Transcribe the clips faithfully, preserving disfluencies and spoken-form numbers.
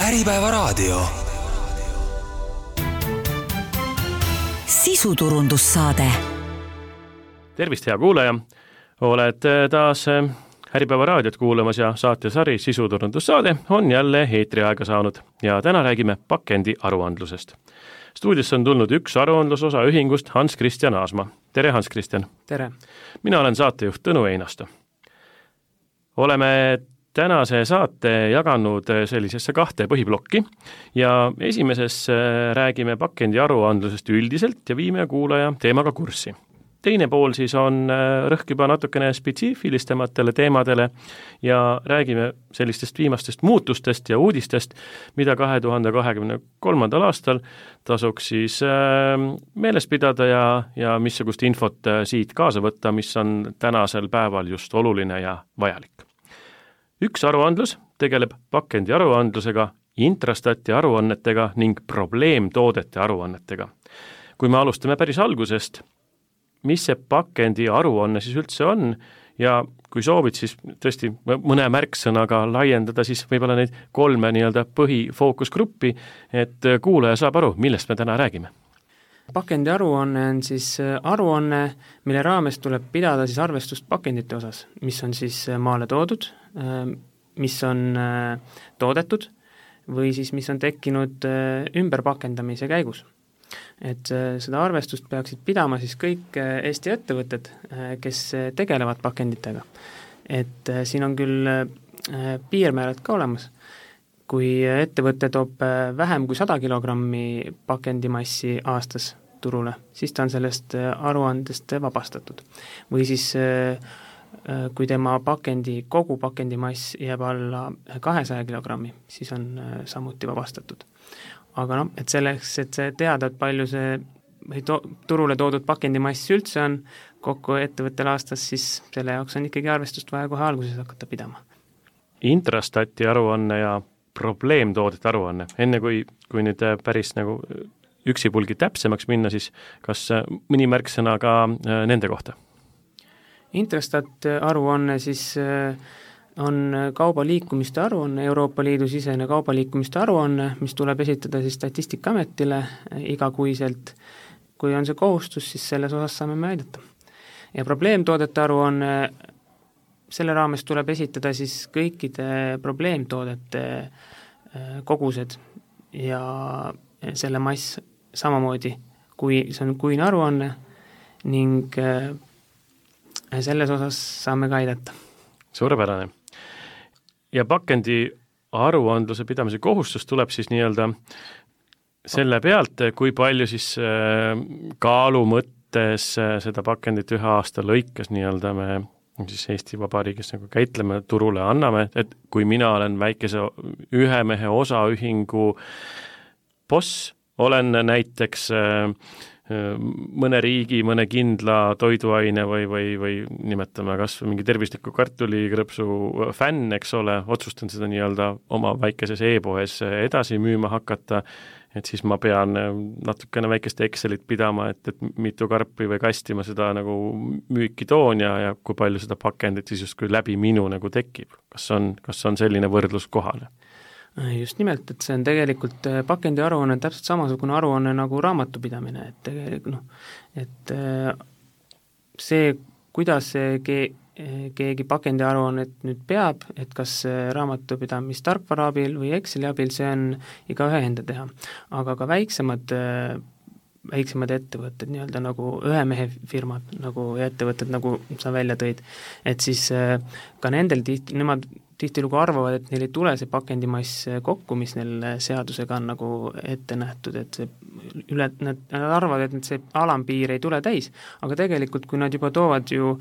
Äripäevaraadio. Sisuturundussaade. Tervist, hea kuulaja! Oled taas Äripäevaraadiot kuulamas ja saatesari Sisuturundussaade on jälle eetriaega saanud ja täna räägime pakendi aruandlusest. Stuudiosse on tulnud üks aruandlusosa ühingust Hans-Christian Aasma. Tere, Hans-Christian! Tere! Mina olen saatejuht Tõnu Einasto. Oleme tänase saate jaganud sellisesse kahte põhiblokki ja esimeses räägime pakendi aruandlusest üldiselt ja viime kuulaja teemaga kurssi. Teine pool siis on rõhk juba natukene spetsiifilistematele teemadele ja räägime sellistest viimastest muutustest ja uudistest, mida kahe tuhande kahekümne kolmandal aastal tasuks siis meeles pidada ja, ja missugust infot siit kaasa võtta, mis on tänasel päeval just oluline ja vajalik. Üks aruandlus tegeleb pakendi aruandlusega, Intrastati aruannetega ning probleemtoodete aruannetega. Kui me alustame päris algusest, mis see pakendi aruanne siis üldse on ja kui soovid, siis tõesti mõne märksõnaga laiendada siis võib-olla neid kolme nii-öelda põhifookusgruppi, et kuulaja saab aru, millest me täna räägime. Pakendi aruanne on siis aruanne, mille raames tuleb pidada siis arvestust pakendite osas, mis on siis maale toodud, mis on toodetud või siis mis on tekkinud ümberpakendamise käigus. Et seda arvestust peaksid pidama siis kõik Eesti ettevõtted, kes tegelevad pakenditega. Et siin on küll piirmäärad ka olemas. Kui ettevõte toob vähem kui sada kilogrammi pakendimassi aastas turule, siis ta on sellest aruandest vabastatud. Või siis kui tema pakendi, kogu pakendimass jääb alla kahesaja kilogrammi, siis on samuti vabastatud. Aga noh, et selleks, et see teada, et palju see to- turule toodud pakendimass üldse on kokku ettevõttel aastas, siis selle jaoks on ikkagi arvestust vaja kohe alguses hakata pidama. Intrastati aruanne ja probleemtoodete aruanne. Enne kui, kui nüüd päris nagu üksipulgi täpsemaks minna, siis kas mõni märksõna ka nende kohta? Intrastat aruanne siis on kaubaliikumiste aruanne, Euroopa Liidu sisene kaubaliikumiste aruanne, mis tuleb esitada siis Statistikaametile igakuiselt. Kui on see kohustus, siis selles osas saame me aidata. Ja probleemtoodete aruanne, selle raames tuleb esitada siis kõikide probleemtoodete kogused ja selle mass samamoodi, kui see on kuine aruanne ning selles osas saame ka aidata. Suurepärane. Ja pakendi aruandluse pidamise kohustus tuleb siis nii-öelda selle pealt, kui palju siis kaalu mõttes seda pakendit ühe aasta lõikes nii-öelda me siis Eesti Vabariigis nagu käitleme, turule anname, et kui mina olen väikese ühe mehe osaühingu boss, olen näiteks mõne riigi, mõne kindla toiduaine või, või, või nimetame kas mingi tervisliku kartulikrõpsu fänn, eks ole, otsustan seda nii-öelda oma väikeses e-poes edasi müüma hakata, et siis ma pean natukene väikest Excelit pidama, et, et mitu karpi või kasti ma seda nagu müüki toon ja, ja kui palju seda pakendit siis justkui läbi minu nagu tekib. Kas on, kas on selline võrdlus kohale? Just nimelt, et see on tegelikult pakendi aruanne täpselt samasugune aruanne nagu raamatupidamine, et tegelikult noh, et see, kuidas see ke- keegi pakendi aruannet nüüd peab, et kas raamatupidamist tarkvara abil või Exceli abil, see on iga ühe enda teha. Aga ka väiksemad, väiksemad ettevõtted, nii-öelda nagu ühe mehe firmad nagu ettevõtted, nagu sa välja tõid, et siis ka nendel tihti, nemad tihtilugu arvavad, et neil ei tule see pakendimass kokku, mis neil seadusega on nagu ette nähtud, et see üle, nad, nad arvavad, et see alampiir ei tule täis, aga tegelikult, kui nad juba toovad ju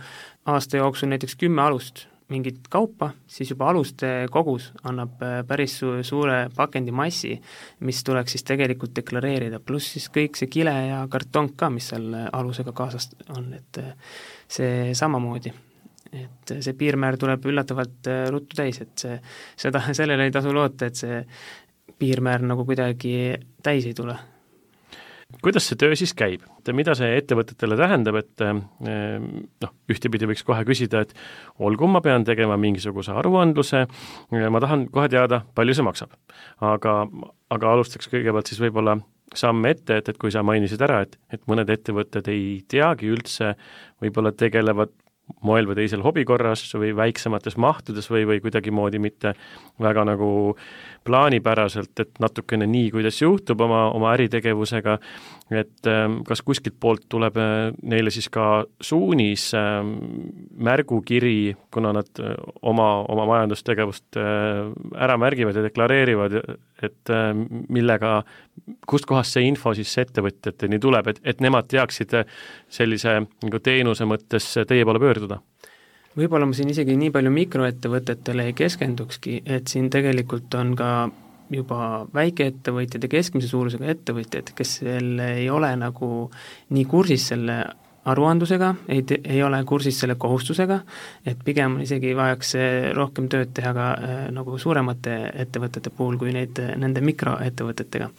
aasta jooksul näiteks kümme alust mingit kaupa, siis juba aluste kogus annab päris su- suure pakendimassi, mis tuleks siis tegelikult deklareerida, pluss siis kõik see kile ja karton ka, mis seal alusega kaasas on, et see samamoodi. Et see piirmäär tuleb üllatavalt ruttu täis, et see, seda, sellele ei tasu loota, et see piirmäär nagu kuidagi täis ei tule. kuidas see töö siis käib? Mida see ettevõtetele tähendab, et noh, ühtepidi võiks kohe küsida, et olgu, ma pean tegema mingisuguse aruandluse, ma tahan kohe teada, palju see maksab. Aga, aga alustaks kõigepealt siis võib-olla samme ette, et, et kui sa mainisid ära, et, et mõned ettevõtted ei teagi üldse, võib-olla tegelevad moel või teisel hobikorras või väiksemates mahtudes või, või kuidagi moodi mitte väga nagu plaanipäraselt, et natukene nii, kuidas juhtub oma, oma äritegevusega, et kas kuskilt poolt tuleb neile siis ka suunis, märgukiri, kuna nad oma, oma majandustegevust ära märgivad ja deklareerivad, et millega, kust kohast see info siis ettevõtjateni tuleb, et, et nemad teaksid sellise nagu teenuse mõttes teie poole pöörduda? Võib-olla ma siin isegi nii palju mikroettevõtetele ei keskendukski, et siin tegelikult on ka juba väikeettevõtjad ja keskmise suurusega ettevõtjad, kes ei ole nagu nii kursis selle aruandlusega, ei, ei ole kursis selle kohustusega, et pigem isegi vajaks rohkem tööd teha ka äh, nagu suuremate ettevõtete puhul kui neid, nende mikroettevõtetega.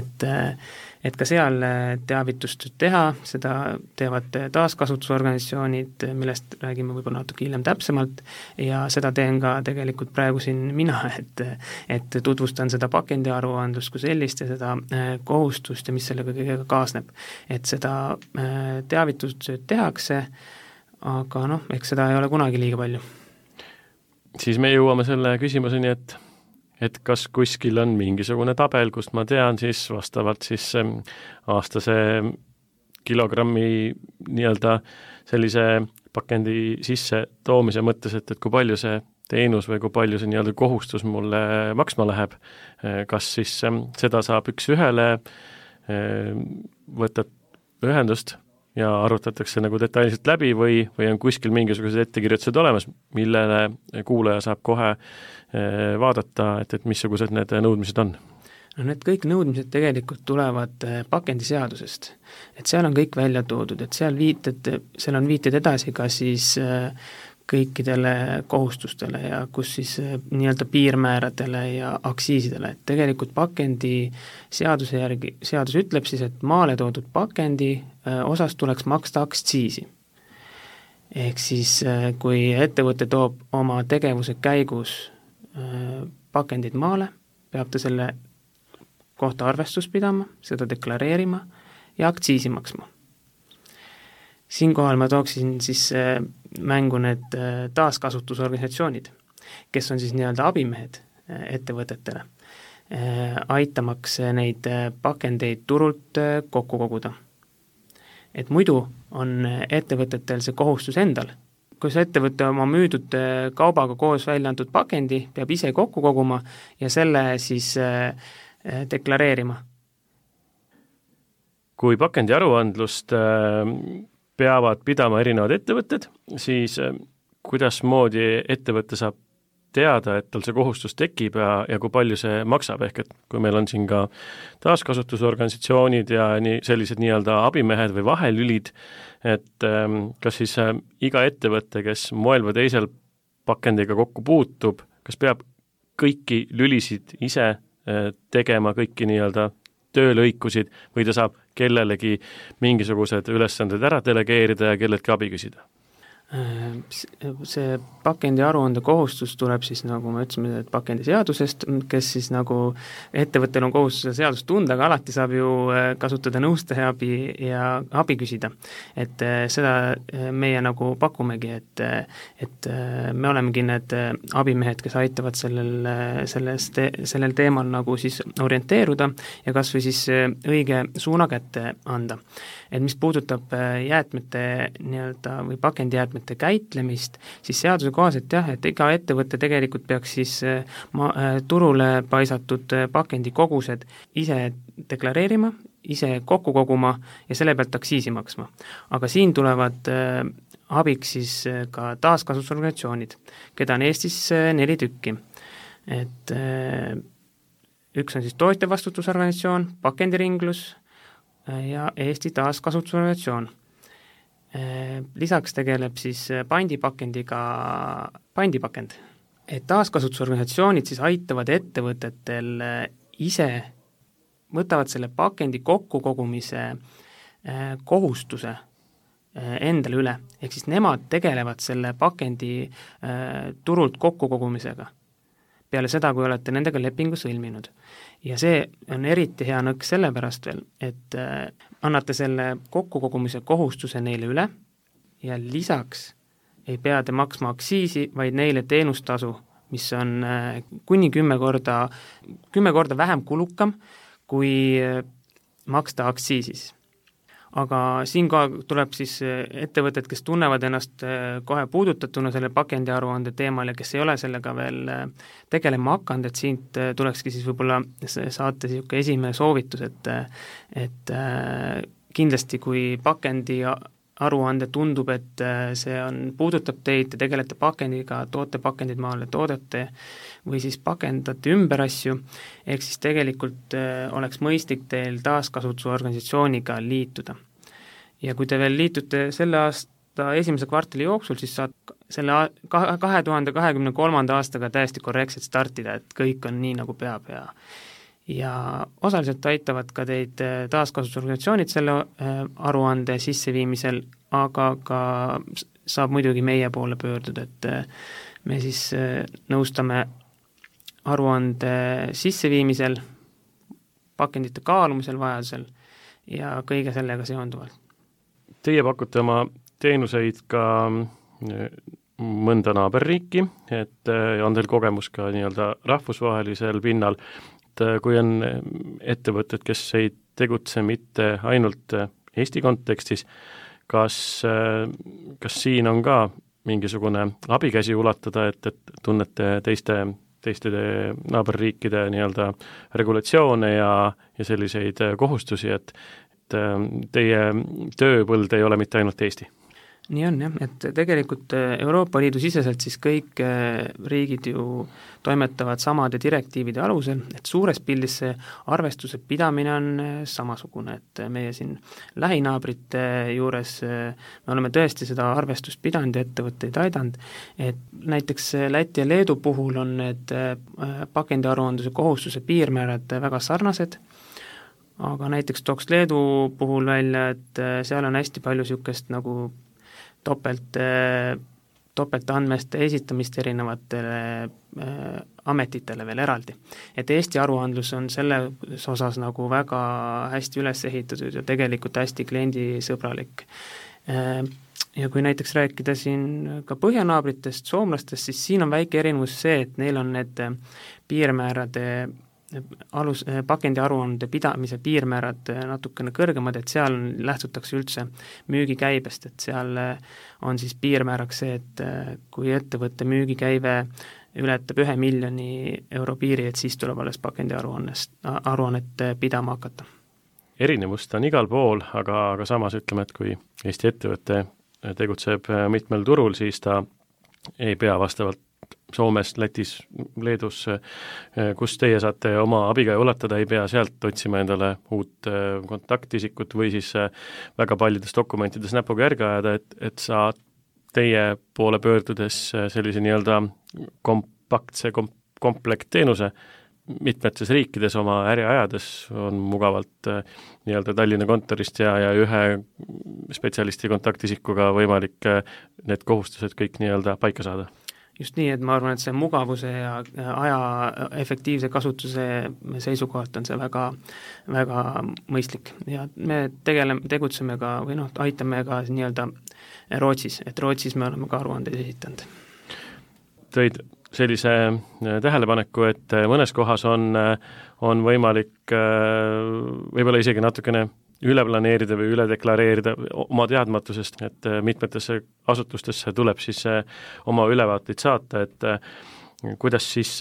Et äh, et ka seal teavitust teha, seda teevad taaskasutusorganisatsioonid, millest räägime võib-olla natuke hiljem täpsemalt, ja seda teen ka tegelikult praegu siin mina, et, et tutvustan seda pakendiaruandlust kui sellist ja seda kohustust ja mis sellega kõigega kaasneb. Et seda teavitustööd tehakse, aga noh, eks seda ei ole kunagi liiga palju. Siis me jõuame selle küsimuseni, et et kas kuskil on mingisugune tabel, kust ma tean siis vastavalt siis aastase kilogrammi nii-öelda sellise pakendi sisse toomise mõttes, et, et kui palju see teenus või kui palju see nii-öelda kohustus mulle maksma läheb, kas siis seda saab üks ühele, võtad ühendust ja arutatakse nagu detailselt läbi või, või on kuskil mingisugused ettekirjutused olemas, millele kuulaja saab kohe vaadata, et, et missugused need nõudmised on? No need kõik nõudmised tegelikult tulevad pakendiseadusest. Et seal on kõik välja toodud, et seal viited, seal on viited edasi ka siis kõikidele kohustustele ja kus siis nii-öelda piirmääradele ja aksiisidele, et tegelikult pakendi seaduse järgi, seadus ütleb siis, et maale toodud pakendi osas tuleks maksta aktsiisi. Ehk siis kui ettevõte toob oma tegevuse käigus pakendid maale, peab ta selle kohta arvestust pidama, seda deklareerima ja aktsiisi maksma. Siinkohal ma tooksin siis mängu need taaskasutusorganisatsioonid, kes on siis nii-öelda abimehed ettevõtetele, aitamaks neid pakendeid turult kokku koguda. Et muidu on ettevõtetel see kohustus endal. Kui see ettevõte oma müüdud kaubaga koos välja antud pakendi peab ise kokku koguma ja selle siis deklareerima. Kui pakendi aruandlust peavad pidama erinevad ettevõtted, siis kuidas moodi ettevõte saab teada, et tal see kohustus tekib ja, ja kui palju see maksab, ehk et kui meil on siin ka taaskasutusorganisatsioonid ja nii, sellised nii-öelda abimehed või vahelülid, et kas siis iga ettevõte, kes moel või teisel pakendiga kokku puutub, kas peab kõiki lülisid ise tegema, kõiki nii-öelda töölõikusid või ta saab kellelegi mingisugused ülesanded ära delegeerida ja kelleltki abi küsida? See pakendi aruande kohustus tuleb siis, nagu me ütlesime, et pakendi seadusest, kes siis nagu ettevõttel on kohustus seadust tunda, aga alati saab ju kasutada nõustaja abi ja abi küsida. Et seda meie nagu pakumegi, et, et me olemegi need abimehed, kes aitavad sellel, selles te, sellel teemal nagu siis orienteeruda ja kas või siis õige suuna kätte anda. Et mis puudutab jäätmete nii-öelda või pakendijäätmete käitlemist, siis seaduse kohaselt jah, et iga ettevõte tegelikult peaks siis ma, turule paisatud pakendi kogused ise deklareerima, ise kokku koguma ja selle pealt aktsiisi maksma. Aga siin tulevad abiks siis ka taaskasutusorganisatsioonid, keda on Eestis neli tükki. Et üks on siis tootjavastutusorganisatsioon, pakendiringlus ja Eesti taaskasutusorganisatsioon. Lisaks tegeleb siis pandipakendiga pandipakend. Et taaskasutusorganisatsioonid siis aitavad ettevõtetel ise võtavad selle pakendi kokkukogumise kohustuse endale üle, ehk siis nemad tegelevad selle pakendi turult kokkukogumisega peale seda, kui olete nendega lepingu sõlminud. Ja see on eriti hea nõks sellepärast veel, et annate selle kokkukogumise kohustuse neile üle ja lisaks ei pea te maksma aktsiisi, vaid neile teenustasu, mis on kuni kümme korda, kümme korda vähem kulukam kui maksta aktsiisis. Aga siin ka tuleb siis ettevõtted, kes tunnevad ennast kohe puudutatuna selle pakendiaruande teemal ja kes ei ole sellega veel tegelema hakanud, et siit tulekski siis võib-olla saate siuke esimene soovitus, et, et kindlasti kui pakendi aruande tundub, et see on, puudutab teid, te tegelete pakendiga, toote pakendid maale, toodete või siis pakendate ümber asju, ehk siis tegelikult oleks mõistlik teil taaskasutusorganisatsiooniga liituda. Ja kui te veel liitute selle aasta esimese kvartali jooksul, siis saad selle kahe tuhande kahekümne kolmanda aastaga täiesti korrektselt startida, et kõik on nii, nagu peab ja ja osaliselt aitavad ka teid taaskasutusorganisatsioonid selle aruande sisseviimisel, aga ka saab muidugi meie poole pöörduda, et me siis nõustame aruande sisseviimisel, pakendite kaalumisel vajadusel ja kõige sellega seonduvalt. Teie pakute oma teenuseid ka mõnda naaberriiki, et on teil kogemus ka nii-öelda rahvusvahelisel pinnal, et kui on ettevõtted, kes ei tegutse mitte ainult Eesti kontekstis, kas, kas siin on ka mingisugune abikäsi ulatada, et, et tunnete teiste, teiste naaberriikide nii-öelda regulatsioone ja, ja selliseid kohustusi, et, et teie tööpõld ei ole mitte ainult Eesti? Nii on jah, et tegelikult Euroopa Liidu siseselt siis kõik riigid ju toimetavad samade direktiivide alusel, et suures pildis see arvestuse pidamine on samasugune, et meie siin lähinaabrite juures me oleme tõesti seda arvestust pidanud ja ettevõtteid aidanud, et näiteks Läti ja Leedu puhul on need pakendiaruandluse kohustuse piirmäärad väga sarnased, aga näiteks tooks Leedu puhul välja, et seal on hästi palju niisugust nagu topelt, topeltandmeste esitamist erinevatele äh, ametitele veel eraldi. Et Eesti aruandlus on selles osas nagu väga hästi üles ehitatud ja tegelikult hästi kliendisõbralik. Äh, ja kui näiteks rääkida siin ka põhjanaabritest, soomlastest, siis siin on väike erinevus see, et neil on need piirmäärade alus, pakendiaruande pidamise piirmäärad natukene kõrgemad, et seal lähtutakse üldse müügikäibest, et seal on siis piirmääraks see, et kui ettevõtte müügikäive ületab ühe miljoni euro piiri, et siis tuleb alles pakendiaruannest, aruannet pidama hakata. Erinevust on igal pool, aga, aga samas ütleme, et kui Eesti ettevõte tegutseb mitmel turul, siis ta ei pea vastavalt Soomes, Lätis, Leedus, kus teie saate oma abiga ulatada, ei pea sealt otsima endale uut kontaktisikut või siis väga paljudes dokumentides näpuga järge ajada, et, et sa teie poole pöördudes sellise nii-öelda kompaktse kom- komplektteenuse mitmetes riikides oma äri ajades on mugavalt nii-öelda Tallinna kontorist ja, ja ühe spetsialisti kontaktisikuga võimalik need kohustused kõik nii-öelda paika saada. Just nii, et ma arvan, et see mugavuse ja aja efektiivse kasutuse seisukohalt on see väga, väga mõistlik ja me tegeleme, tegutseme ka või noh, aitame ka nii-öelda Rootsis, et Rootsis me oleme ka aruandeid esitanud. Tõid sellise tähelepaneku, et mõnes kohas on, on võimalik võib-olla isegi natukene üle planeerida või üle deklareerida oma teadmatusest, et mitmetesse asutustesse tuleb siis oma ülevaateid saata, et kuidas siis,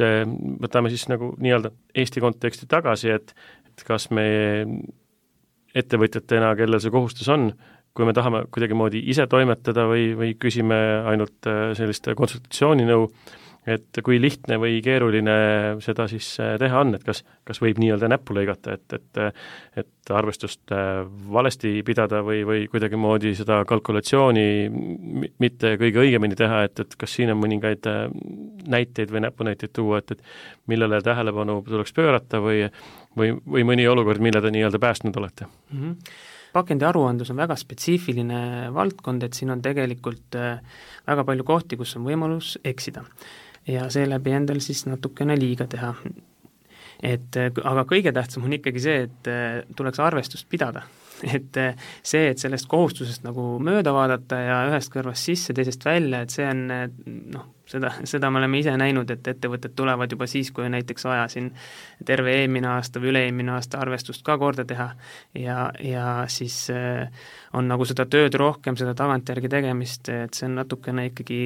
võtame siis nagu nii-öelda Eesti konteksti tagasi, et, et kas me ettevõtjatena, kellel see kohustus on, kui me tahame kuidagi moodi ise toimetada või, või küsime ainult sellist konsultatsiooninõu, et kui lihtne või keeruline seda siis teha on, et kas, kas võib nii-öelda näppu lõigata, et, et, et arvestust valesti pidada või, või kuidagimoodi seda kalkulatsiooni mitte kõige õigemini teha, et, et kas siin on mõningaid näiteid või näpunäiteid tuua, et, et millele tähelepanu tuleks pöörata või, või, või mõni olukord, mille te nii-öelda päästnud olete? Mm-hmm. Pakendi aruandlus on väga spetsiifiline valdkond, et siin on tegelikult väga palju kohti, kus on võimalus eksida ja seeläbi endal siis natukene liiga teha. Et, aga kõige tähtsam on ikkagi see, et tuleks arvestust pidada. Et see, et sellest kohustusest nagu mööda vaadata ja ühest kõrvast sisse, teisest välja, et see on, noh, seda, seda me oleme ise näinud, et ettevõtted tulevad juba siis, kui näiteks vaja siin terve eelmine aasta või üle-eelmine aasta arvestust ka korda teha ja, ja siis on nagu seda tööd rohkem, seda tagantjärgi tegemist, et see on natukene ikkagi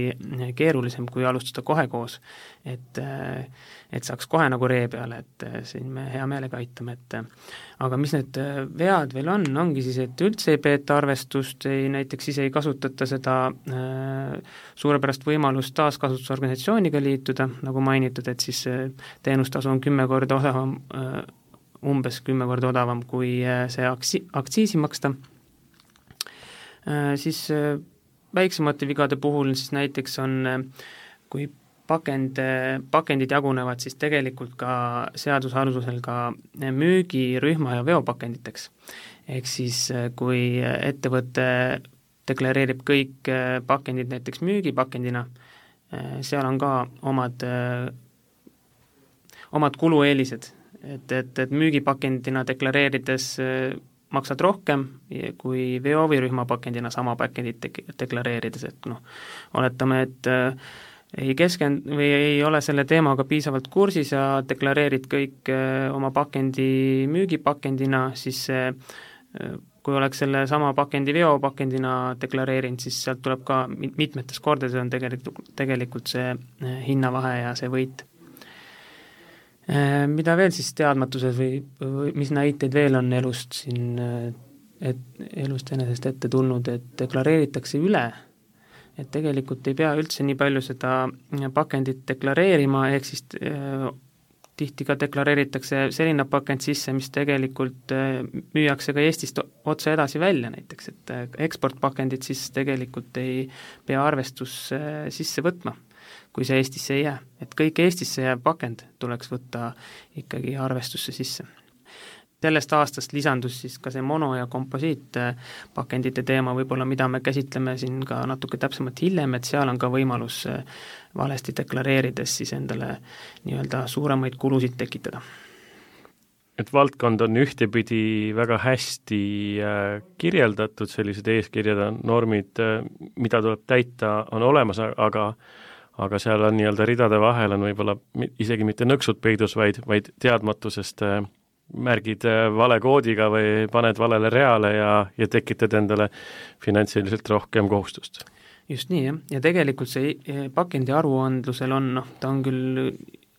keerulisem, kui alustada kohe koos. Et, et saaks kohe nagu ree peale, et siin me hea meelega aitame, et aga mis need vead veel on, ongi siis, et üldse ei peeta arvestust, ei, näiteks ise ei kasutata seda äh, suurepärast võimalust taaskasutusorganisatsiooniga liituda, nagu mainitud, et siis äh, teenustasu on kümme korda odavam äh,, umbes kümme korda odavam, kui äh, see aksi-, aktsiisi maksta äh,. Siis äh, väiksemate vigade puhul siis näiteks on äh, kui pakend, pakendid jagunevad siis tegelikult ka seadusalusel ka müügirühma ja veopakenditeks. Ehk siis kui ettevõte deklareerib kõik pakendid näiteks müügipakendina, seal on ka omad, omad kulueelised, et, et, et müügipakendina deklareerides maksad rohkem kui veo- või rühmapakendina sama pakendit deklareerides, et noh, oletame, et ei keskend- või ei ole selle teemaga piisavalt kursis ja deklareerid kõik oma pakendi müügipakendina, siis kui oleks selle sama pakendi veopakendina deklareerinud, siis sealt tuleb ka mitmetes kordades on tegelikult, tegelikult see hinnavahe ja see võit. Mida veel siis teadmatuses või, või mis näiteid veel on elust siin, et elust enesest ette tulnud, et deklareeritakse üle, et tegelikult ei pea üldse nii palju seda pakendit deklareerima, ehk siis äh, tihti ka deklareeritakse selline pakend sisse, mis tegelikult äh, müüakse ka Eestist otse edasi välja näiteks, et äh, eksportpakendid siis tegelikult ei pea arvestus äh, sisse võtma, kui see Eestisse ei jää. Et kõik Eestisse jääv pakend tuleks võtta ikkagi arvestusse sisse. Sellest aastast lisandus siis ka see mono- ja komposiitpakendite teema võib-olla, mida me käsitleme siin ka natuke täpsemalt hiljem, et seal on ka võimalus valesti deklareerides siis endale nii-öelda suuremaid kulusid tekitada. Et valdkond on ühtepidi väga hästi kirjeldatud, sellised eeskirjad on normid, mida tuleb täita, on olemas, aga aga seal on nii-öelda ridade vahel on võib-olla isegi mitte nõksud peidus, vaid, vaid teadmatusest märgid vale koodiga või paned valele reale ja, ja tekitad endale finantsiliselt rohkem kohustust. Just nii, jah. Ja tegelikult see pakendi aruandlusel on, noh, ta on küll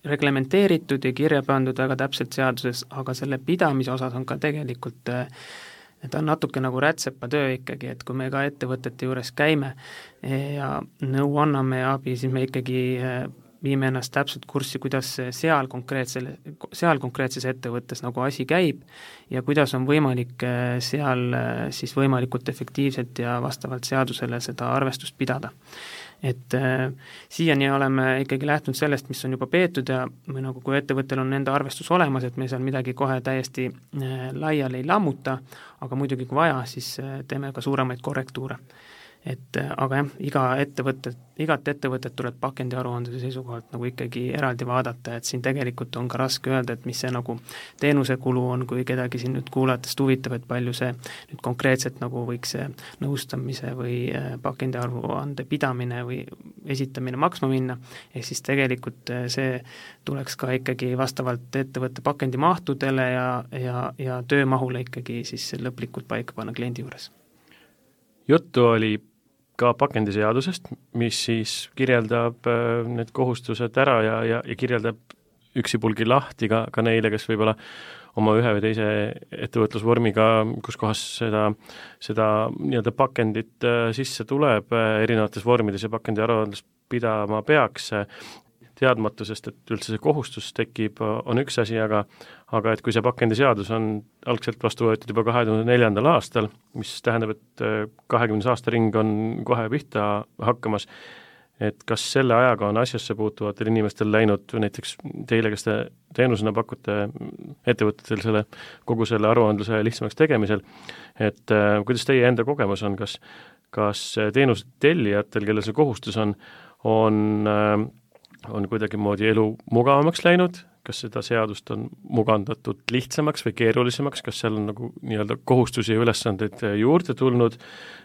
reglementeeritud ja kirja pandud väga täpselt seaduses, aga selle pidamise osas on ka tegelikult, ta on natuke nagu rätsepatöö ikkagi, et kui me ka ettevõtete juures käime ja nõu anname ja abi, siis me ikkagi viime ennast täpselt kurssi, kuidas seal, seal konkreetses ettevõttes nagu asi käib ja kuidas on võimalik seal siis võimalikult efektiivselt ja vastavalt seadusele seda arvestust pidada. Et äh, siiani oleme ikkagi lähtunud sellest, mis on juba peetud ja või nagu kui ettevõttel on enda arvestus olemas, et me seal midagi kohe täiesti äh, laiali ei lammuta, aga muidugi kui vaja, siis äh, teeme ka suuremaid korrektuure. Et aga jah, iga ettevõtet, igat ettevõtet tuleb pakendi aruandluse seisukohalt nagu ikkagi eraldi vaadata, et siin tegelikult on ka raske öelda, et mis see nagu teenuse kulu on, kui kedagi siin nüüd kuulatest huvitab, et palju see nüüd konkreetselt nagu võiks see nõustamise või pakendi aruande pidamine või esitamine maksma minna, ehk siis tegelikult see tuleks ka ikkagi vastavalt ettevõtte pakendi mahtudele ja, ja, ja töömahule ikkagi siis lõplikult paika panna kliendi juures. Juttu oli ka pakendiseadusest, mis siis kirjeldab need kohustused ära ja, ja, ja kirjeldab üksipulgi lahti ka, ka neile, kes võib-olla oma ühe või teise ettevõtlusvormiga, kus kohas seda, seda nii-öelda pakendit sisse tuleb erinevates vormides ja pakendi aruandlust pidama peaks. teadmatusest, et üldse see kohustus tekib, on üks asi, aga aga et kui see pakendiseadus on algselt vastu võetud juba kahe tuhande neljandal aastal, mis tähendab, et kahekümnes aastaring on kohe pihta hakkamas, et kas selle ajaga on asjasse puutuvatel inimestel läinud, näiteks teile, kes te teenusena pakute ettevõtetel selle, kogu selle aruandluse lihtsamaks tegemisel, et äh, kuidas teie enda kogemus on, kas, kas teenuse tellijatel, kellel see kohustus on, on, äh, on kuidagimoodi elu mugavamaks läinud, kas seda seadust on mugandatud lihtsamaks või keerulisemaks, kas seal on nagu nii-öelda kohustusi ja ülesandeid juurde tulnud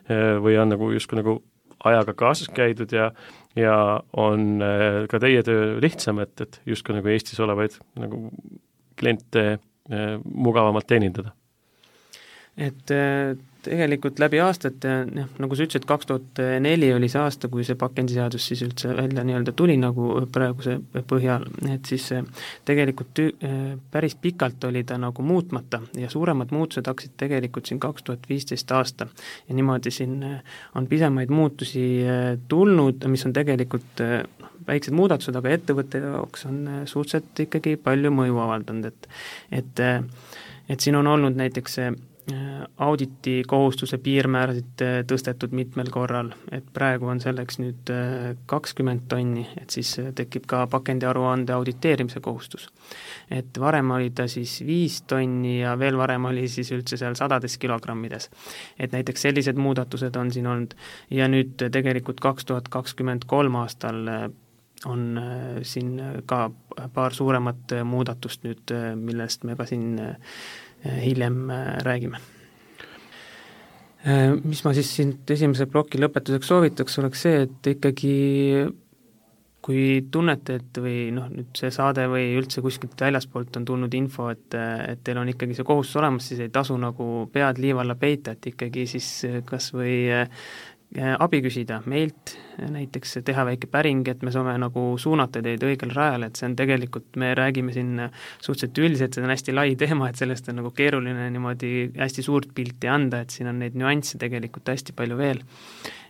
või on nagu justkui nagu ajaga kaasas käidud ja, ja on ka teie töö lihtsam, et, et justkui nagu Eestis olevaid nagu kliente mugavamalt teenindada? Et tegelikult läbi aastate, nagu sa ütlesid, kaks tuhat neli oli see aasta, kui see pakendiseadus siis üldse välja nii-öelda tuli nagu praeguse põhjal, et siis tegelikult tü- päris pikalt oli ta nagu muutmata ja suuremad muutused hakkasid tegelikult siin kaks tuhat viisteist aasta ja niimoodi siin on pisemaid muutusi tulnud, mis on tegelikult väiksed muudatused, aga ettevõtte jaoks on suhteliselt ikkagi palju mõju avaldanud, et et, et siin on olnud näiteks auditi kohustuse piirmäärasid tõstetud mitmel korral, et praegu on selleks nüüd kakskümmend tonni, et siis tekib ka pakendiaruande auditeerimise kohustus. Et varem oli ta siis viis tonni ja veel varem oli siis üldse seal sadades kilogrammides. Et näiteks sellised muudatused on siin olnud ja nüüd tegelikult kaks tuhat kakskümmend kolm aastal on siin ka paar suuremat muudatust nüüd, millest me ka siin hiljem räägime. Mis ma siis siin esimese ploki lõpetuseks soovitaks, oleks see, et ikkagi kui tunnete, et või noh, nüüd see saade või üldse kuskilt väljaspoolt on tulnud info, et, et teil on ikkagi see kohustus olemas, siis ei tasu nagu pead liiva alla peita, et ikkagi siis kas või abi küsida meilt, näiteks teha väike päring, et me saame nagu suunata teid õigel rajal, et see on tegelikult, me räägime siin suhteliselt üldiselt, see on hästi lai teema, et sellest on nagu keeruline niimoodi hästi suurt pilti anda, et siin on neid nüansse tegelikult hästi palju veel.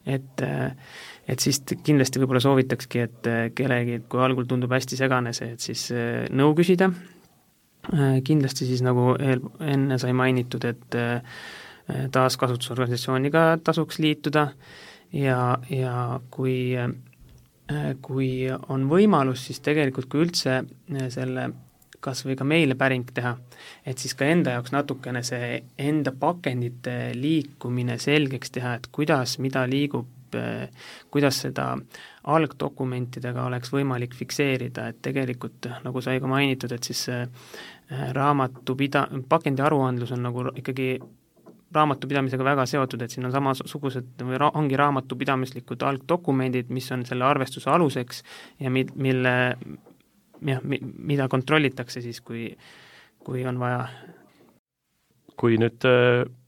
Et, et siis kindlasti võib-olla soovitakski, et kellegi, kui algul tundub hästi segane see, et siis nõu küsida, kindlasti siis nagu eel, enne sai mainitud, et taaskasutusorganisatsiooniga tasuks liituda ja, ja kui, kui on võimalus, siis tegelikult kui üldse selle kas või ka meile päring teha, et siis ka enda jaoks natukene see enda pakendite liikumine selgeks teha, et kuidas, mida liigub, kuidas seda algdokumentidega oleks võimalik fikseerida, et tegelikult nagu sai ka mainitud, et siis raamatupida-, pakendi aruandlus on nagu ikkagi raamatupidamisega väga seotud, et siin on samasugused või ra- ongi raamatupidamislikud algdokumendid, mis on selle arvestuse aluseks ja mi-, mille jah, mi-, mida kontrollitakse siis, kui, kui on vaja. Kui nüüd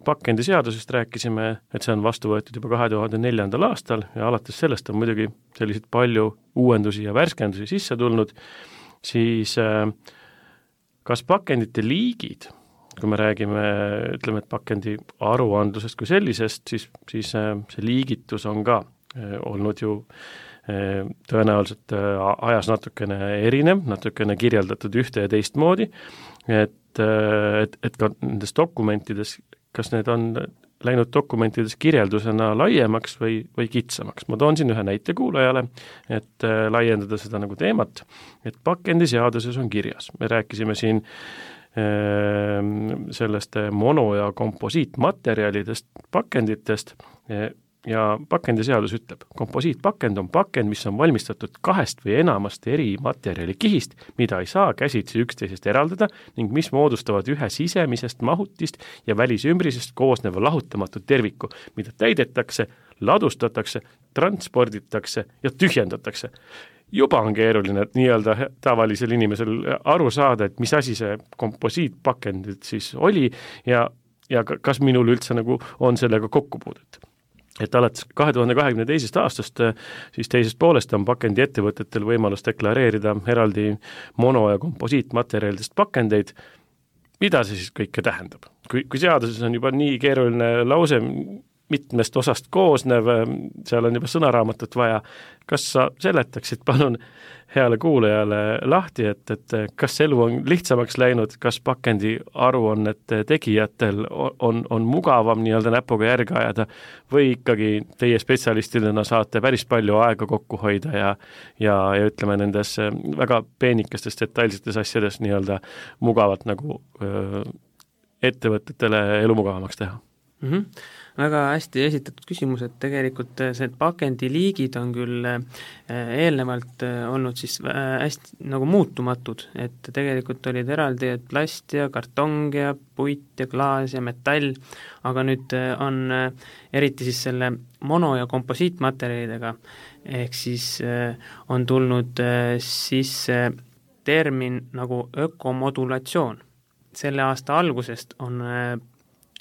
pakendiseadusest rääkisime, et see on vastu võetud juba kahe tuhande neljandal aastal ja alates sellest on muidugi selliseid palju uuendusi ja värskendusi sisse tulnud, siis kas pakendite liigid, kui me räägime, ütleme, et pakendi aruandlusest kui sellisest, siis, siis see liigitus on ka olnud ju tõenäoliselt ajas natukene erinev, natukene kirjeldatud ühte ja teistmoodi, et, et, et ka nendes dokumentides, kas need on läinud dokumentides kirjeldusena laiemaks või, või kitsamaks. Ma toon siin ühe näite kuulajale, et laiendada seda nagu teemat, et pakendiseaduses on kirjas. Me rääkisime siin sellest mono- ja komposiitmaterjalidest, pakenditest ja pakendiseadus ütleb, komposiitpakend on pakend, mis on valmistatud kahest või enamast eri materjali kihist, mida ei saa käsitsi üksteisest eraldada ning mis moodustavad ühe sisemisest mahutist ja välisümbrisest koosneva lahutamatu terviku, mida täidetakse, ladustatakse, transporditakse ja tühjendatakse. Juba on keeruline nii-öelda tavalisel inimesel aru saada, et mis asi see komposiitpakend siis oli ja, ja kas minul üldse nagu on sellega kokkupuudet. Et alates kahe tuhande kahekümne teisest aastast siis teisest poolest on pakendi ettevõtetel võimalus deklareerida eraldi mono- ja komposiitmaterjalidest pakendeid. Mida see siis kõike tähendab? Kui, kui seaduses on juba nii keeruline lause, mitmest osast koosnev, seal on juba sõnaraamatut vaja. Kas sa seletaksid palun heale kuulajale lahti, et, et kas elu on lihtsamaks läinud, kas pakendi aruannete tegijatel on, on mugavam nii-öelda näpuga järge ajada või ikkagi teie spetsialistidena saate päris palju aega kokku hoida ja, ja, ja ütleme nendes väga peenikestes detailsetes asjades nii-öelda mugavalt nagu öö, ettevõtetele elu mugavamaks teha? Mm-hmm. Väga hästi esitatud küsimus, et tegelikult see pakendiliigid on küll eelnevalt olnud siis hästi nagu muutumatud, et tegelikult olid eraldi et plast ja kartong ja puit ja klaas ja metall, aga nüüd on eriti siis selle mono- ja komposiitmaterjalidega, ehk siis on tulnud sisse termin nagu ökomodulatsioon. Selle aasta algusest on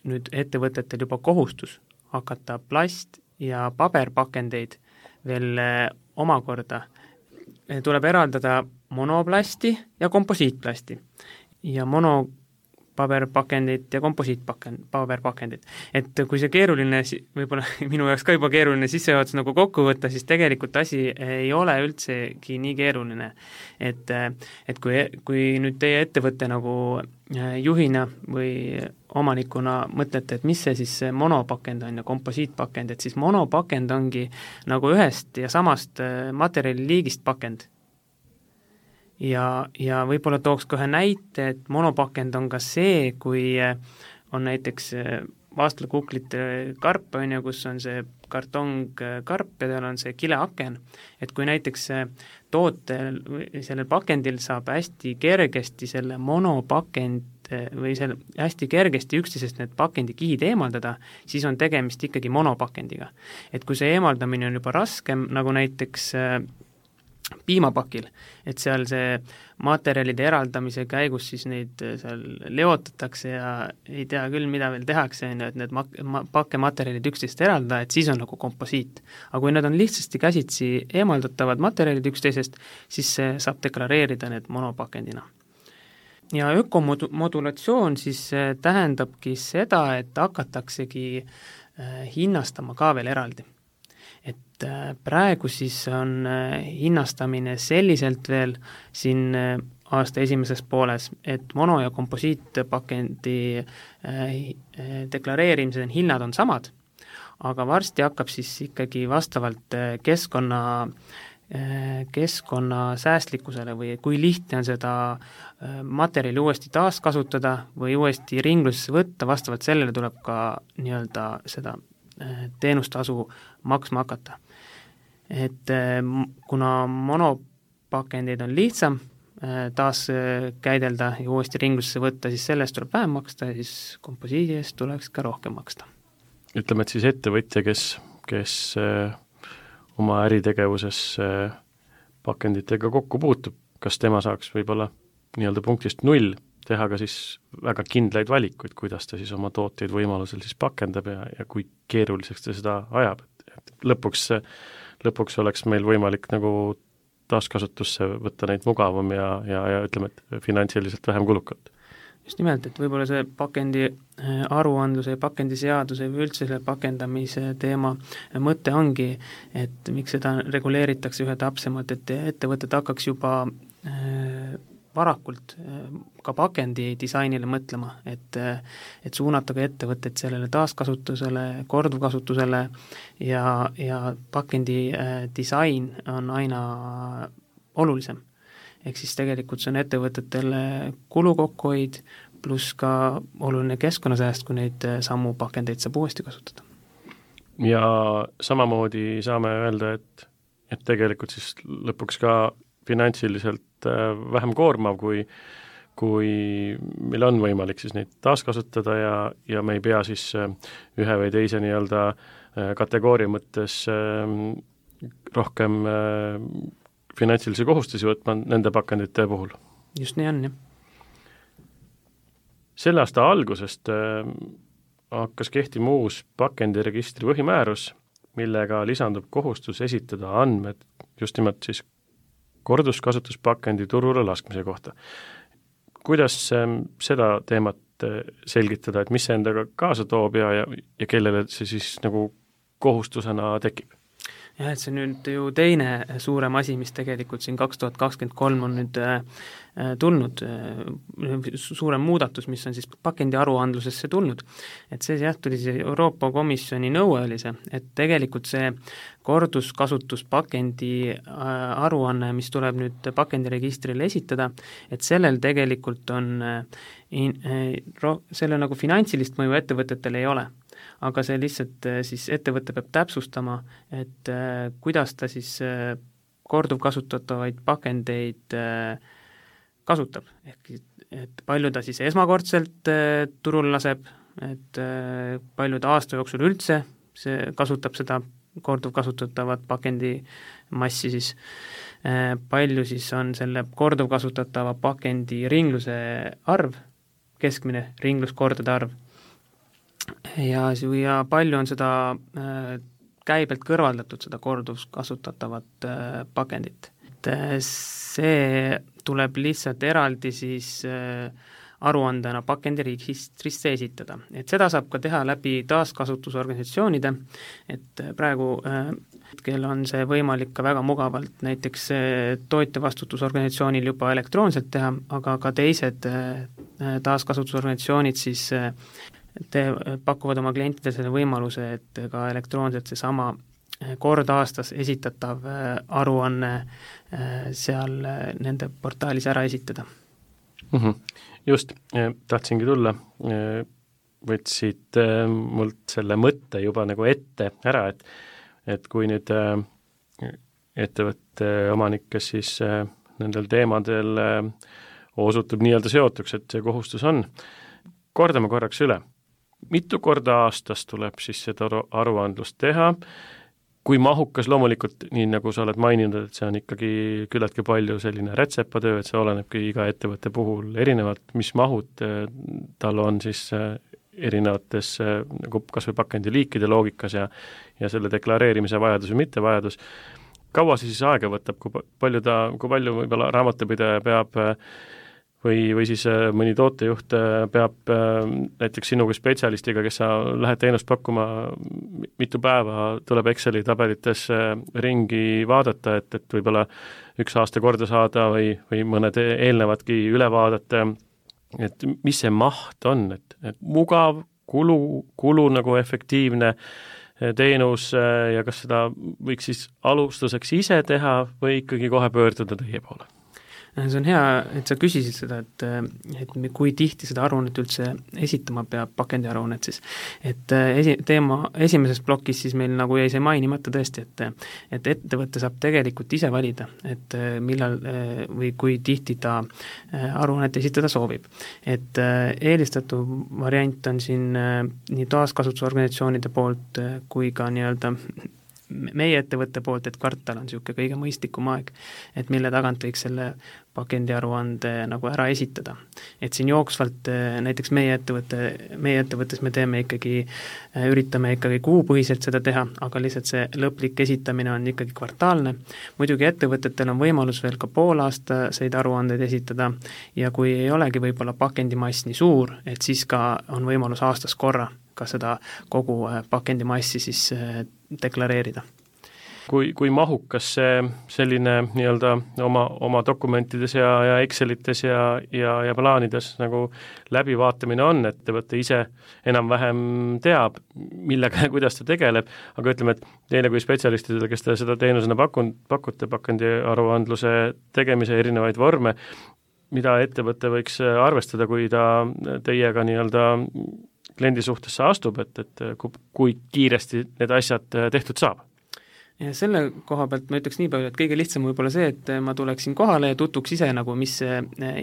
nüüd ettevõtetel juba kohustus hakata plast- ja paberpakendeid veel omakorda. Tuleb eraldada monoplasti ja komposiitplasti ja monopaberpakendid ja komposiitpaberpakendid. Et kui see keeruline, võib-olla minu jaoks ka juba keeruline sissejuhatus nagu kokku võtta, siis tegelikult asi ei ole üldsegi nii keeruline. Et, et kui, kui nüüd teie ettevõtte nagu juhina või omanikuna mõtlete, et mis see siis see monopakend on ja komposiitpakend, et siis monopakend ongi nagu ühest ja samast materjaliliigist pakend. Ja, ja võib-olla tooks kohe näite, et monopakend on ka see, kui on näiteks vaastlakuklite karp, on ju, kus on see kartong karp ja tal on see kileaken, et kui näiteks tootel või sellel pakendil saab hästi kergesti selle monopakend või selle hästi kergesti üksteisest need pakendikihid eemaldada, siis on tegemist ikkagi monopakendiga. Et kui see eemaldamine on juba raskem, nagu näiteks piimapakil, et seal see materjalide eraldamise käigus siis neid seal leotatakse ja ei tea küll, mida veel tehakse, et need pakkematerjalid üksteisest eraldada, et siis on nagu komposiit. Aga kui need on lihtsasti käsitsi eemaldatavad materjalid üksteisest, siis see saab deklareerida need monopakendina. Ja ökomodulatsioon siis tähendabki seda, et hakataksegi hinnastama ka veel eraldi. Et praegu siis on hinnastamine selliselt veel siin aasta esimeses pooles, et mono- ja komposiitpakendi deklareerimise hinnad on samad, aga varsti hakkab siis ikkagi vastavalt keskkonna keskkonna säästlikkusele või kui lihtne on seda materjali uuesti taaskasutada või uuesti ringlusesse võtta, vastavalt sellele tuleb ka nii-öelda seda teenustasu maksma hakata. Et kuna monopakendid on lihtsam taas käidelda ja uuesti ringlusesse võtta, siis sellest tuleb vähem maksta ja siis komposiidi eest tuleks ka rohkem maksta. Ütleme, et siis ettevõtja, kes, kes oma äritegevuses pakenditega kokku puutub, kas tema saaks võib-olla nii-öelda punktist null teha ka siis väga kindlaid valikuid, kuidas ta siis oma tooteid võimalusel siis pakendab ja, ja kui keeruliseks ta seda ajab. Et lõpuks, lõpuks oleks meil võimalik nagu taaskasutusse võtta neid mugavam ja, ja, ja ütleme, et finantsiliselt vähem kulukalt. Just nimelt, et võib-olla see pakendi aruandluse ja pakendiseaduse või üldse selle pakendamise teema mõte ongi, et miks seda reguleeritakse ühe täpsemalt, et ettevõtted hakkaks juba varakult ka pakendi disainile mõtlema, et, et suunata ka ettevõtted sellele taaskasutusele, korduvkasutusele ja, ja pakendi disain on aina olulisem. Ehk siis tegelikult see on ettevõtetele kulukokkuhoid pluss ka oluline keskkonnasääst, kui neid samu pakendeid saab uuesti kasutada. Ja samamoodi saame öelda, et, et tegelikult siis lõpuks ka finantsiliselt vähem koormav, kui, kui meil on võimalik siis neid taaskasutada ja, ja me ei pea siis ühe või teise nii-öelda kategooria mõttes rohkem finantsilisi kohustusi võtma nende pakendite puhul. Just nii on, jah. Selle aasta algusest hakkas kehtima uus pakendiregistri põhimäärus, millega lisandub kohustus esitada andmed just nimelt siis korduskasutuspakendi turule laskmise kohta. Kuidas seda teemat et selgitada, et mis see endaga kaasa toob ja, ja, ja kellele see siis nagu kohustusena tekib. Jah, et see nüüd ju teine suurem asi, mis tegelikult siin kaks tuhat kakskümmend kolm on nüüd äh, tulnud, äh, suurem muudatus, mis on siis pakendi aruandlusesse tulnud. Et see jah, tuli see Euroopa Komisjoni nõue oli see, et tegelikult see korduskasutus pakendi äh, aruanne, mis tuleb nüüd pakendiregistrile esitada, et sellel tegelikult on äh, in, äh, ro, selle nagu finantsilist mõju ettevõtetele ei ole. Aga see lihtsalt siis ettevõte peab täpsustama, et äh, kuidas ta siis äh, korduvkasutatavaid pakendeid äh, kasutab. Ehk et palju ta siis esmakordselt äh, turul laseb, et äh, palju ta aasta jooksul üldse see kasutab seda korduvkasutatavat pakendimassi siis, äh, palju siis on selle korduvkasutatava pakendi ringluse arv, keskmine ringluskordade arv, ja, ja palju on seda äh, käibelt kõrvaldatud, seda korduvkasutatavat äh, pakendit. Et äh, see tuleb lihtsalt eraldi siis äh, aruandena pakendiregistrisse esitada. Et seda saab ka teha läbi taaskasutusorganisatsioonide, et praegu äh, hetkel on see võimalik ka väga mugavalt näiteks äh, tootjavastutusorganisatsioonil juba elektroonselt teha, aga ka teised äh, taaskasutusorganisatsioonid siis äh, Te pakuvad oma klientidele selle võimaluse, et ka elektroonselt seesama kord aastas esitatav aruanne seal nende portaalis ära esitada. Mm-hmm. Just, tahtsingi tulla, võtsid mult selle mõtte juba nagu ette ära, et, et kui nüüd ettevõtte omanik, kes siis nendel teemadel osutub nii-öelda seotuks, et see kohustus on, kordame korraks üle. Mitu korda aastas tuleb siis seda aruandlust teha, kui mahukas loomulikult, nii nagu sa oled maininud, et see on ikkagi küllaltki palju selline rätsepatöö, et see olenebki iga ettevõtte puhul erinevalt, mis mahud tal on siis erinevates nagu kas või pakendi liikide loogikas ja, ja selle deklareerimise vajadus või mittevajadus. Kaua see siis aega võtab, kui palju, ta, kui palju võib-olla raamatupidaja peab või, või siis mõni tootejuht peab näiteks sinu kui spetsialistiga, kes sa lähed teenust pakkuma, mitu päeva tuleb Exceli tabelites ringi vaadata, et, et võib-olla üks aasta korda saada või, või mõned eelnevadki üle vaadata, et mis see maht on, et, et mugav, kulu, kulu nagu efektiivne teenus ja kas seda võiks siis alustuseks ise teha või ikkagi kohe pöörduda teie poole? See on hea, et sa küsisid seda, et, et kui tihti seda aruannet üldse esitama peab, pakendiaruannet siis. Et esi, teema esimeses plokis siis meil nagu jäi see mainimata tõesti, et, et ettevõte saab tegelikult ise valida, et millal või kui tihti ta aruannet esitada soovib. Et eelistatud variant on siin nii taaskasutusorganisatsioonide poolt kui ka nii-öelda meie ettevõtte poolt, et kvartal on niisugune kõige mõistlikum aeg, et mille tagant võiks selle pakendiaruande nagu ära esitada. Et siin jooksvalt näiteks meie ettevõtte, meie ettevõttes me teeme ikkagi, üritame ikkagi kuupõhiselt seda teha, aga lihtsalt see lõplik esitamine on ikkagi kvartaalne. Muidugi ettevõtetel on võimalus veel ka poolaastaseid aruandeid esitada ja kui ei olegi võib-olla pakendimass nii suur, et siis ka on võimalus aastas korra ka seda kogu pakendimassi siis deklareerida. Kui, kui mahukas see selline nii-öelda oma, oma dokumentides ja, ja Excelites ja, ja, ja plaanides nagu läbivaatamine on, et ettevõte ise enam-vähem teab, millega ja kuidas ta tegeleb, aga ütleme, et teile kui spetsialistidele, kes te seda teenusena pakun, pakute pakendi aruandluse tegemise erinevaid vorme, mida ettevõte võiks arvestada, kui ta teiega nii-öelda kliendi suhtesse astub, et, et kui kiiresti need asjad tehtud saab? Ja selle koha pealt ma ütleks nii palju, et kõige lihtsam võib-olla see, et ma tuleksin kohale ja tutuks ise nagu, mis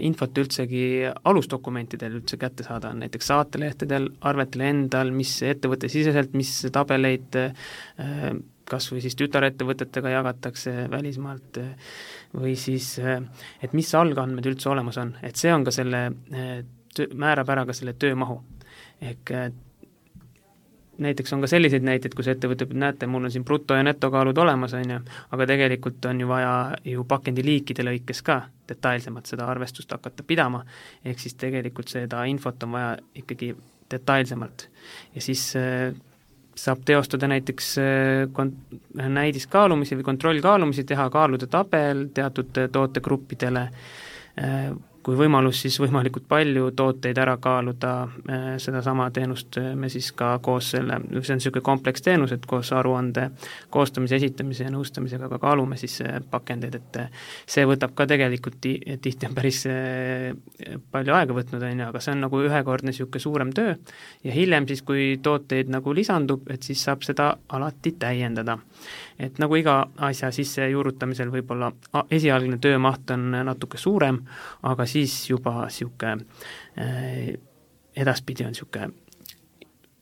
infot üldsegi alusdokumentidel üldse kätte saada on, näiteks saatelehtedel, arvetel endal, mis ettevõtte siseselt, mis tabeleid kas või siis tütarettevõtetega jagatakse välismaalt või siis, et mis algandmed üldse olemas on, et see on ka selle, määrab ära ka selle töömahu. Ehk näiteks on ka selliseid näiteid, kus ettevõte, näete, mul on siin bruto- ja netokaalud olemas, on ju, aga tegelikult on ju vaja ju pakendiliikide lõikes ka detailsemalt seda arvestust hakata pidama, ehk siis tegelikult seda infot on vaja ikkagi detailsemalt. Ja siis äh, saab teostada näiteks kont-, näidiskaalumisi või kontrollkaalumisi, teha kaalude tabel teatud tootegruppidele, kui võimalus, siis võimalikult palju tooteid ära kaaluda, sedasama teenust me siis ka koos selle, see on niisugune kompleks teenus, et koos aruande koostamise, esitamise ja nõustamisega ka kaalume siis pakendeid, et see võtab ka tegelikult ti-, tihti on päris palju aega võtnud, on ju, aga see on nagu ühekordne niisugune suurem töö ja hiljem siis, kui tooteid nagu lisandub, et siis saab seda alati täiendada. Et nagu iga asja sisse juurutamisel võib-olla esialgne töömaht on natuke suurem, aga siis juba siuke äh, edaspidi on siuke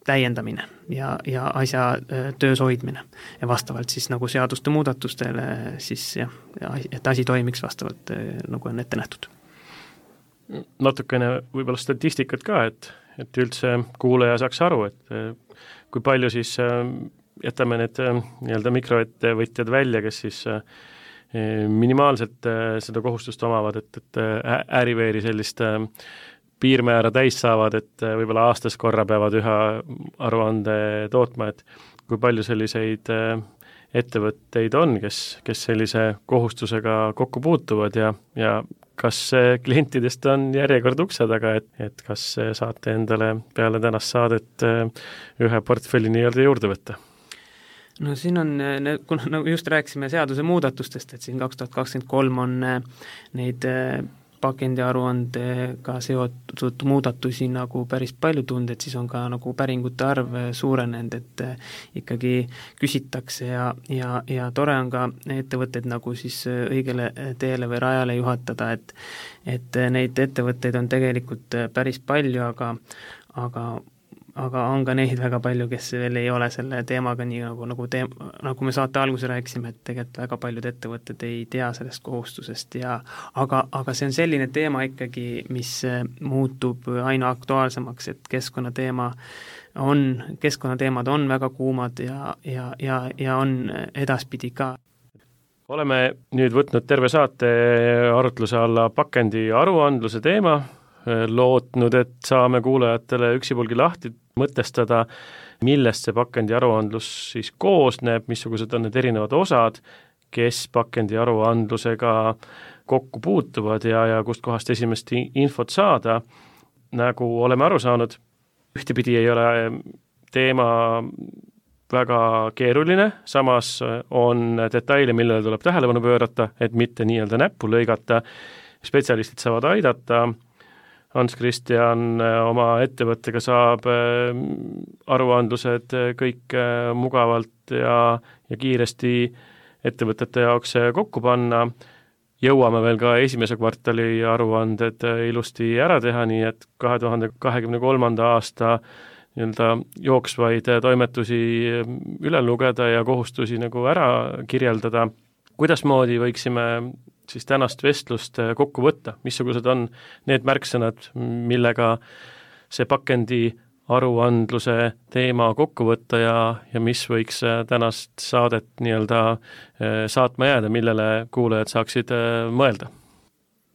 täiendamine ja, ja asja äh, töös hoidmine ja vastavalt siis nagu seaduste muudatustele siis jah, et asi toimiks vastavalt äh, nagu on ette nähtud. Natukene võib-olla statistikat ka, et, et üldse kuulaja saaks aru, et äh, kui palju siis äh, jätame need äh, nii-öelda mikroettevõtjad välja, kes siis äh, minimaalselt seda kohustust omavad, et, et Äriveeri sellist piirmäära täis saavad, et võib-olla aastas korra peavad ühe aruande tootma, et kui palju selliseid ettevõtteid on, kes, kes sellise kohustusega kokku puutuvad ja, ja kas klientidest on järjekord ukse taga, et, et kas saate endale peale tänast saadet ühe portfelli nii-öelda juurde võtta? No siin on, kuna nagu just rääkisime seaduse muudatustest, et siin kaks tuhat kakskümmend kolm on neid pakendiaruandega seotud muudatusi nagu päris palju tulnud, et siis on ka nagu päringute arv suurenenud, et ikkagi küsitakse ja, ja, ja tore on ka ettevõtteid nagu siis õigele teele või rajale juhatada, et, et neid ettevõtteid on tegelikult päris palju, aga, aga aga on ka neid väga palju, kes veel ei ole selle teemaga nii nagu, nagu, teem, nagu me saate alguse rääkisime, et tegelikult väga paljud ettevõtted ei tea sellest kohustusest ja aga, aga see on selline teema ikkagi, mis muutub aina aktuaalsemaks, et keskkonnateema on, keskkonnateemad on väga kuumad ja, ja, ja, ja on edaspidi ka. Oleme nüüd võtnud terve saate arutluse alla pakendi aruandluse teema, lootnud, et saame kuulajatele üksipulgi lahti mõtestada, millest see pakendi aruandlus siis koosneb, missugused on need erinevad osad, kes pakendi aruandlusega kokku puutuvad ja, ja kust kohast esimest infot saada. Nagu oleme aru saanud, ühtepidi ei ole teema väga keeruline, samas on detaile, millele tuleb tähelepanu pöörata, et mitte nii-öelda näppu lõigata, spetsialistid saavad aidata. Hans-Christian oma ettevõttega saab aruandlused kõik mugavalt ja, ja kiiresti ettevõtete jaoks kokku panna. Jõuame veel ka esimese kvartali aruanded ilusti ära teha, nii et kahe tuhande kahekümne kolmanda aasta nii-öelda jooksvaid toimetusi üle lugeda ja kohustusi nagu ära kirjeldada. Kuidasmoodi võiksime siis tänast vestlust kokku võtta, missugused on need märksõnad, millega see pakendi aruandluse teema kokku võtta ja, ja mis võiks tänast saadet nii-öelda saatma jääda, millele kuulajad saaksid mõelda?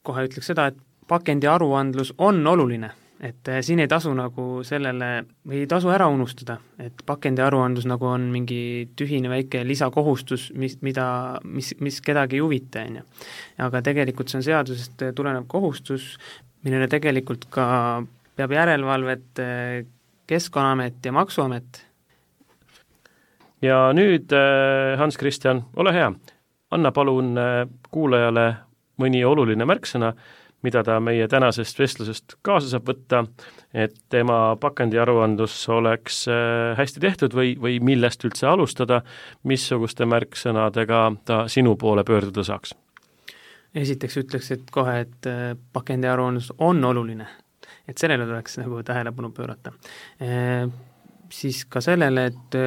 Kohe ütleks seda, et pakendi aruandlus on oluline, et siin ei tasu nagu sellele, või ei tasu ära unustada, et pakendi aruandlus nagu on mingi tühine väike lisakohustus, mis, mida, mis, mis kedagi ei huvita, on ju. Aga tegelikult see on seadusest tulenev kohustus, millele tegelikult ka peab järelevalvet Keskkonnaamet ja Maksuamet. Ja nüüd, Hans-Christian, ole hea, anna palun kuulajale mõni oluline märksõna, mida ta meie tänasest vestlusest kaasa saab võtta, et tema pakendi aruandlus oleks hästi tehtud või, või millest üldse alustada, missuguste märksõnadega ta sinu poole pöörduda saaks? Esiteks ütleks, et kohe, et pakendi aruandlus on oluline, et sellele tuleks nagu tähelepanu pöörata. E, siis ka sellele, et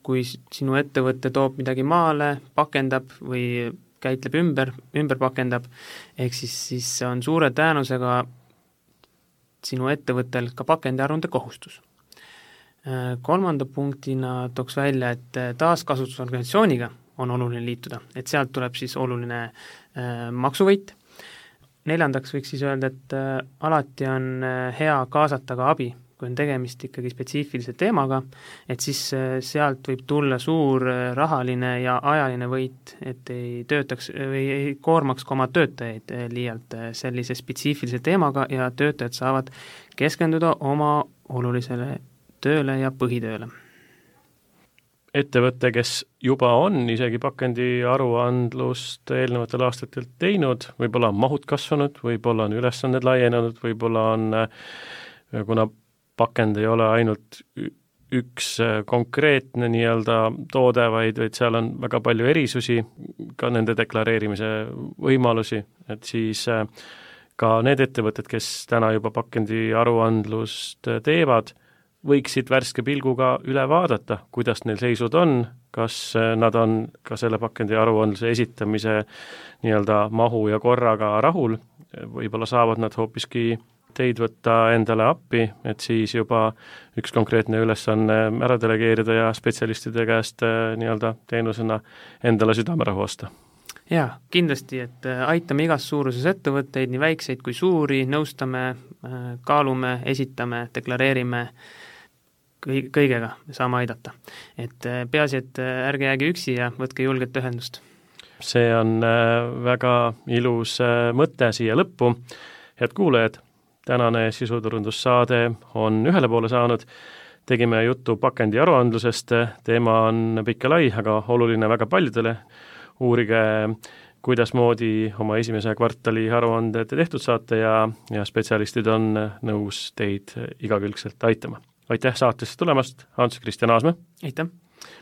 kui sinu ettevõte toob midagi maale, pakendab või käitleb ümber, ümber pakendab, ehk siis, siis on suure tõenäosusega sinu ettevõttel ka pakendi aruande kohustus. Kolmanda punktina tooks välja, et taaskasutusorganisatsiooniga on oluline liituda, et sealt tuleb siis oluline maksuvõit. Neljandaks võiks siis öelda, et alati on hea kaasata ka abi, kui on tegemist ikkagi spetsiifilise teemaga, et siis sealt võib tulla suur rahaline ja ajaline võit, et ei töötaks või ei koormaks ka oma töötajaid liialt sellise spetsiifilise teemaga ja töötajad saavad keskenduda oma olulisele tööle ja põhitööle. Ettevõte, kes juba on isegi pakendi aruandlust eelnevatel aastatel teinud, võib-olla on mahud kasvanud, võib-olla on ülesanded laienenud, võib-olla on, kuna pakend ei ole ainult üks konkreetne nii-öelda toode, vaid, vaid seal on väga palju erisusi, ka nende deklareerimise võimalusi, et siis ka need ettevõtted, kes täna juba pakendi aruandlust teevad, võiksid värske pilguga üle vaadata, kuidas neil seisud on, kas nad on ka selle pakendi aruandluse esitamise nii-öelda mahu ja korraga rahul, võib-olla saavad nad hoopiski teid võtta endale appi, et siis juba üks konkreetne ülesanne ära delegeerida ja spetsialistide käest nii-öelda teenusena endale südamerahu osta. Jaa, kindlasti, et aitame igas suuruses ettevõtteid, nii väikseid kui suuri, nõustame, kaalume, esitame, deklareerime, kõigega me saame aidata. Et peaasi, et ärge jääge üksi ja võtke julget ühendust. See on väga ilus mõte siia lõppu. Head kuulajad, tänane sisuturundussaade on ühele poole saanud. Tegime juttu pakendi aruandlusest, teema on pikk ja lai, aga oluline väga paljudele. Uurige, kuidas moodi oma esimese kvartali aruanded tehtud saate ja, ja spetsialistid on nõus teid igakülgselt aitama. Aitäh saatesse tulemast, Hans-Kristjan Aasmäe. Aitäh.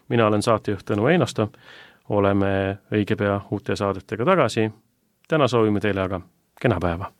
Mina olen saatejuht Tõnu Einasto. Oleme õige pea uute saadetega tagasi. Täna soovime teile aga kena päeva.